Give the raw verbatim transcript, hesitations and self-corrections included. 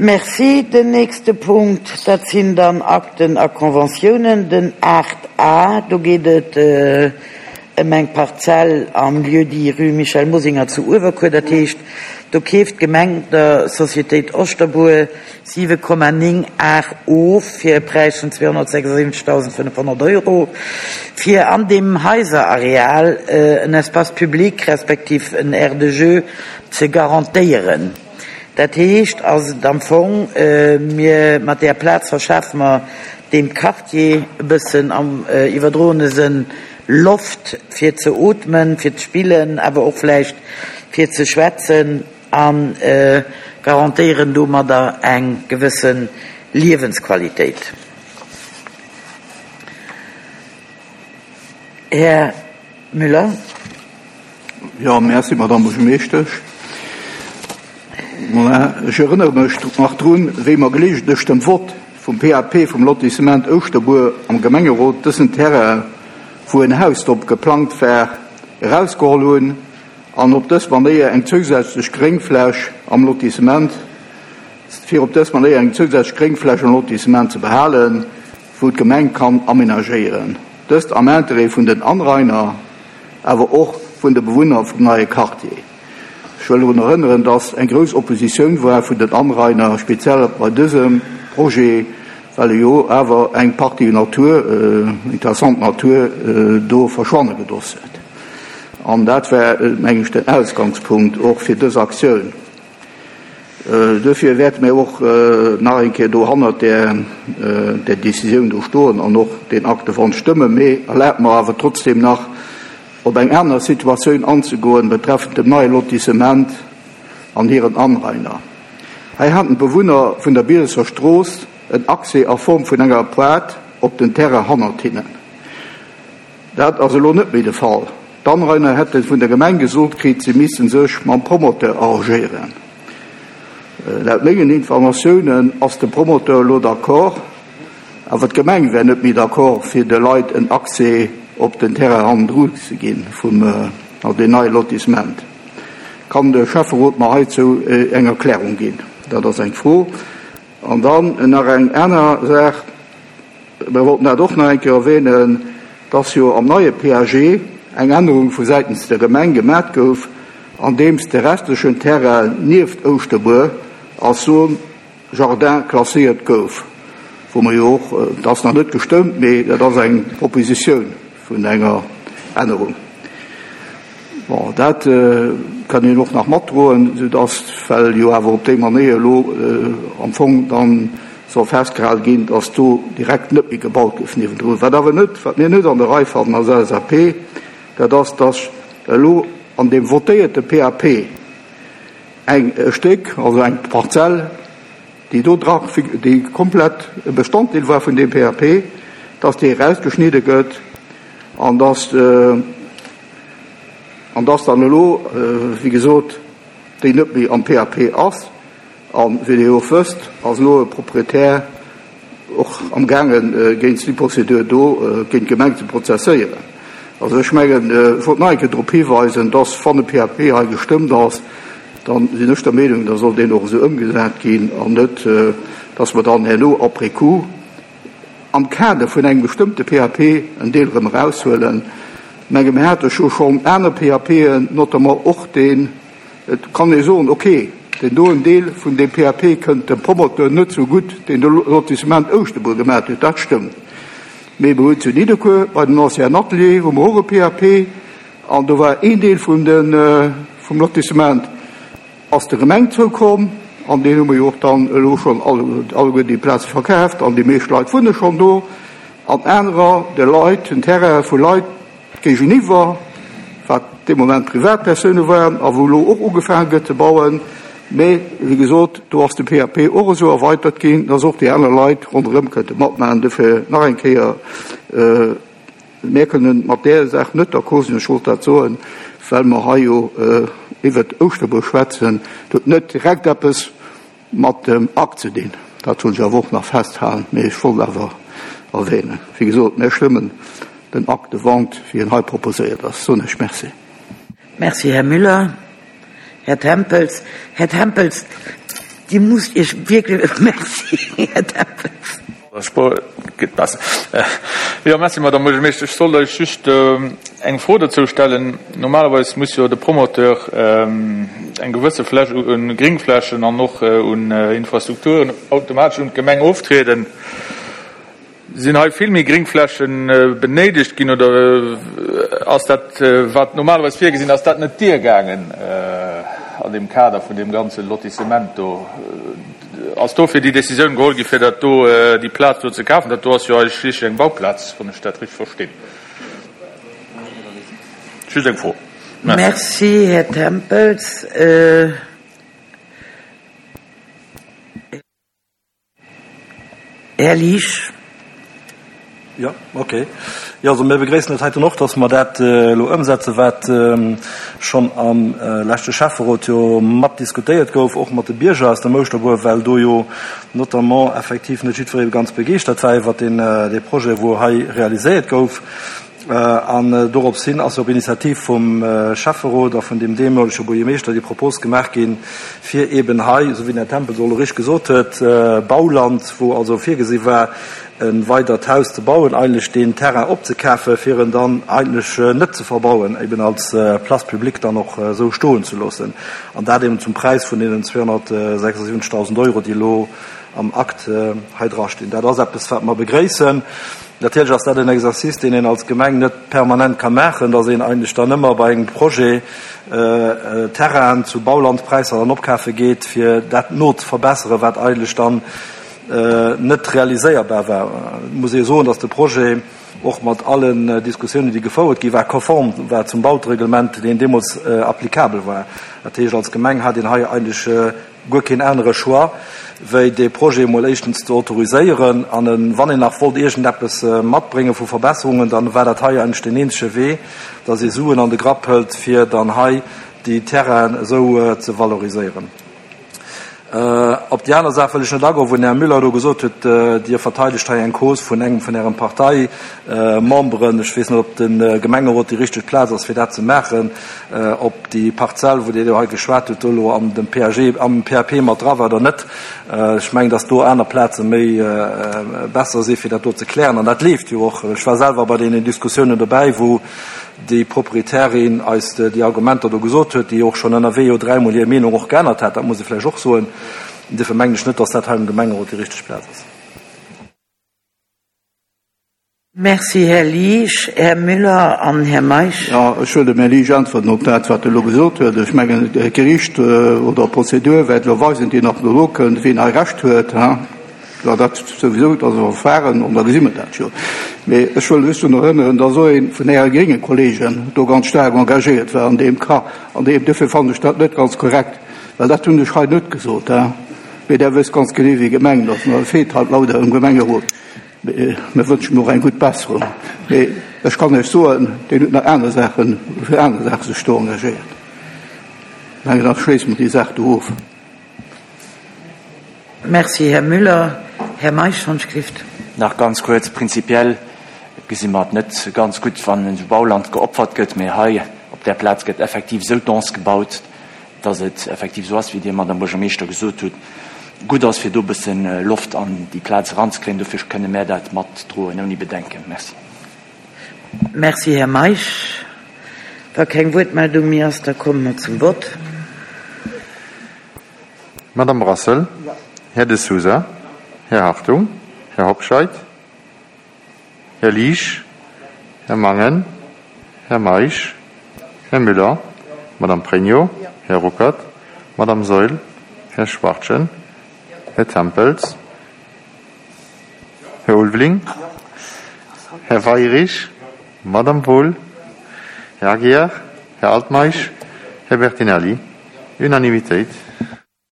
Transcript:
Merci. Den nächste Punkt, dat sinn dann Akten a Conventiounen, den aacht A, do geet et ëm eng Parzell am Lieu-dit Rue Michel Mosinger zu Uewerkuer. Dat heescht, do keeft d'Gemeng der Sociétéit Oschterbuer siwe Komma néng aacht of fir e Präis vun zweehonnertsechsundsiwwenzigtausendfënnefhonnert Euro, fir an deem Haiserareal en Espace public respektiv en Aire de jeu ze garantéieren. Dat heescht, ass et am Fong, mir mat där Plaz verschafe mer deem Quartier e bëssen am iwwerdroene Sënn Loft fir ze ootmen, fir ze spillen, awer och vläicht fir ze schwätzen a garantéieren domadder eng gewësse Liewensqualitéit. Här Müller. Jo, merci, Madame Buergermeeschtesch. Ech erënnere mech nach drun, wéi mer geleegentlech dem Vott vum P A P vum Lotissement Ouschterbuer am Gemengerot dësen Terrain, wou en Haus drop geplangt war, erausgeholl hunn an op dës Manéier eng zousätzlech Gréngfläch am Lotissement, fir op dës Manéier eng zousätzlech Gréngfläch am Lotissement ze behalen, wou d'Gemeng kann aménagéieren. Dëst am Intérêt vun den Anrainer, awer och vun de Bewunner vum neie Quartier. Ech wëll drun erënneren, dass eng grouss Oppositioun war vun den Anrainer, speziell bei dësem Projet, well e jo awer eng Partie Natur, interessant Natur, do verschwanne gedoss huet. An dat war, meng ech, den Ausgangspunkt och fir dës Aktioun. Dofir wäerte mir och nach eng Kéier do hannert der, der Décisioun do stoen an och den Acte de vente stëmmen. Mee erlaabt mer awer trotzdem nach, op eng aner Situatioun anzegoen betreffend dem neie Lotissement an hiren Anrainer. Hei haten d'Bewunner vun der Bielesser Strooss en Accès a Form vun enger Pointe op den Terrain hannert hinnen. Dat ass elo net méi de Fall. D'Anrainer hätte vun der Gemeng gesot kritt, si missten sech mam Promoteur arrangéieren. Laut mengen Informatiounen ass de Promoteur elo d'accord, awer d'Gemeng wär net méi d'accord, fir de Leit en Accès op den Terrain hannendru ze ginn vum den neie Lotissement. Kann de Schäfferot mer heizou eng Erklärung ginn? Dat ass eng Fro. An dann nach eng aner Saach, mir wollten dat och nach eng Kéier erwähnen, dass jo am neie P A G eng Ännerung vu säitens der Gemeng gemat gouf, andeems de restlechen Terrain nieft Ouschterbuer als Zone Jardin klasséiert gouf, wou mer jo och, dat ass nach net gestëmmt, mee dat ass eng Propositioun vun enger Ännerung. Bon, dat kann een och nach matdroen, sodass, well jo awer op déi Manéier elo am Fong dann soll festgehalen ginn, dass do direkt net méi gebaut gouf niewendrun. Wat awer net, wat mir net an der Rei fannen als L S A P, dat ass, dass elo an dem votéierte P A P eng Stéck, also eng Parzell, déi do dra, déi komplett e Bestanddeel war vun dem P A P, dass déi rausgeschnidde gëtt an dass, an dass dann elo, wéi gesot, déi net méi am P A P ass. An wéi Dir och wësst, ass elo e Proprietär och am gaangen, géint déi Prozedur do géint d'Gemeng ze prozesséieren. Also ech mengen, ech wollt nach eng Kéier drop hiweisen, dass wann e P A P hei gestëmmt ass, dann sinn ech der Meenung, da soll deen och esou ëmgesat ginn an net, dass mer dann herno après coup am Kader vun engem bestëmmte P A P en Deel erëm eraushuelen. Ich menge, mir hate scho schonn aner P A P'en, notamment och den, et kann ee soen, okay, den doen Deel vun dem P A P kënnt dem Promoteur net so gutt, deen de Lotissement Ouschterbuer gemat huet, dat stëmmt. Mee mir hunn zu Nidderkuer bei den Ancien Atelier hu mer och e P A P an do war een Deel vun den, vum Lotissement ass der Gemeng zoukomm an deen hu mer jo och dann elo schonn alleguer déi Plaze verkaaft an déi meescht Leit wunne schonn do an anerer de Leit, den Terrain vu Leit géigeniwwer, wat dee Moment Privatpersoune waren a wou elo och ugefaangen gëtt ze bauen. Mee, wéi gesot, do ass de P A P och esou erweitert ginn, dass och déi aner Leit ronderëm kënnte matmachen. Dofir nach eng Kéier, mir kënnen mat där Saach net d'accord sinn, ech wollt dat soen, well mer hei jo iwwer Ouschterbuer schwätzen, dat huet net direkt eppes mat dem Akt ze dinn. Dat wollt ech awer och nach festhalen, mee ech wollt awer erwähnen. Wéi gesot, mir stëmmen den Acte de vente, wéi en hei proposéiert ass. Soen ech merci. Merci, Herr Müller. Herr Tempels. Herr Tempels, Dir musst Iech wierklech, Merci, Här Tempels. Geet besser. Jo, merci, Madame Buergermeeschter. Ech sollt lech just eng Fro dozou stellen. Normalerweis muss jo de Promoteur eng gewësse Fläch un Gringflächen an och un Infrastrukturen automatesch un d'Gemeng oftrieden. Sinn hei vill méi Gringfläche benéidegt ginn oder ass dat, wat normalerweis virgesinn ass, dat net duergaangen an deem Kader vun deem ganze Lotissement do? Ass dofir déi Décisioun geholl gi fir dat do, déi Plaz do ze kafen? Dat do ass jo eigentlech eng Bauplaz, wann ech dat richtig verstinn. Just eng Fro. Merci. Merci, Här Tempels. Här Liesch. Jo, okay. Jo, also mir begréissen dat heiten och, dass mer dat elo ëmsetzen, wat schonn am leschte Schäfferot jo mat diskutéiert gouf, och mat de Bierger aus dem Ouschterbuer, well do jo notamment effektiv net jiddweree ganz begeeschtert war iwwert deen, dee Projet, wou hei realiséiert gouf. An dorops hin ass op Initiativ vum Schäfferot a vun dem deemolege Buergermeeschter déi Propos gemaach ginn, fir eben hei, esou wéi den Här Tempels och elo richteg gesot huet, Bauland, wou also virgesi war, e weidert Haus ze bauen, eigentlech deen Terrain opzekafen, fir en dann eigentlech net ze verbauen, eben als Place publique dann och esou stoen ze loossen. An dat eben zum Präis vun deenen zweehonnertsechsundsiwwenzegtausend Euro, déi elo am Akt hei drastinn. Dat ass eppes, wat mer begréissen. Natierlech ass dat en Exercice, deen een als Gemeng net permanent ka maachen, dass een eigentlech dann ëmmer bei engem Projet Terrainen zu Baulandpräisser dann opkafe geet, fir dat nozeverbesseren, wat eigentlech dann net realiséierbar war. Et muss ee soen, dass de Projet och mat allen Diskussiounen, déi gefouert gi war, konform war zum Bautereglement, deen deemools applicabel war. Dat heescht, als Gemeng hat een hei eigentlech guer keen anere Choix, wéi dee Projet emol éischtens ze autoriséieren. An wann een nach wollt iergendeppes matbrénge vu Verbesserungen, dann war dat hei eigentlech deen eenzege Wee, dass ee Suen an de Grapp hëlt, fir dann hei déi Terrainen esou ze valoriséieren. Op déi aner Saach wëll ech net agoen, wou den Här Müller do gesot huet, Dir verteidegt hei eng Cause vun engem vun Ären Parteimemberen. Ech weess net, ob de Gemengerot déi richteg Plaz ass, fir dat ze maachen, ob déi Parzell, wou Dir do hei geschwat hutt, do elo an dem P A G, am P A P mat dra war oder net. Ech mengen, datt do aner Plaze méi besser si fir dat do ze klären. An dat leeft jo och. Ech war selwer bei deenen Diskussiounen dobäi, wou déi Proprietärin eis déi Argumenter do gesot huet, déi och schonn ënnerwee jo dräimol hir Meenung och geännert hat, dat muss ee vläicht och soen. Duerfir mengen ech net, dass dat hei am Gemengerot déi richteg Plaz ass. Merci, Här Liesch. Här Müller an Här Meisch. Jo, ech wëll dem Här Liesch äntwerten op dat, wat e elo gesot huet. Ech mengen, d'Gericht oder d'Prozedur wäert elo weisen, déi nach elo kënnt, wien hei Recht huet. Jo, dat souwisou, dat ass e Verfahren, an da gesi mer dat jo. Mee ech wëll just drun erënneren, dass och ee vun Äre grénge Kollegen do ganz staark engagéiert war an deem Cas. An deem, duerfir fannen ech dat net ganz korrekt, well dat hunn ech hei net gesot, hein. Mee Der wësst ganz genee, wéi gemengt ass. An et feelt halt leider um Gemengerot. Mee mir wënschen him och eng gutt Besserung. Mee ech kann Iech soen, deen huet nach aner Saachen, fir aner Saache sech do engagéiert. Ech mengen, da schléisse mer déi Saach do of. Merci, Här Müller. Här Meisch, Handschrift. Nach ganz kuerz, Prinzipiell gesi mer et net ganz gutt, wann esou Bauland geopfert gëtt, mä hei op där Plaz gëtt effektiv esou dense gebaut, dass et effektiv esou ass, wéi Dir, Madame Buergermeeschter, gesot hutt, gutt ass, fir do e bësse Loft an déi Plaz eranzekréien. Dofir kënne mär dat matdroen ouni Bedenken. Merci. Merci, Här Meisch. Wa keng Wuertmeldung méi ass, da komme mer zum Vott. Madame Brassel, Här De Sousa, Här Hartung, Här Hobscheit, Här Liesch, Här Mangen, Här Meisch, Här Müller, Madame Pregno, Här Ruckert, Madame Saeul, Här Schwachtgen, Här Tempels, Här Ulveling, Här Weirich, Madame Wohl, Här Aguiar, Här Altmeisch, Här Bertinelli. Unanimitéit.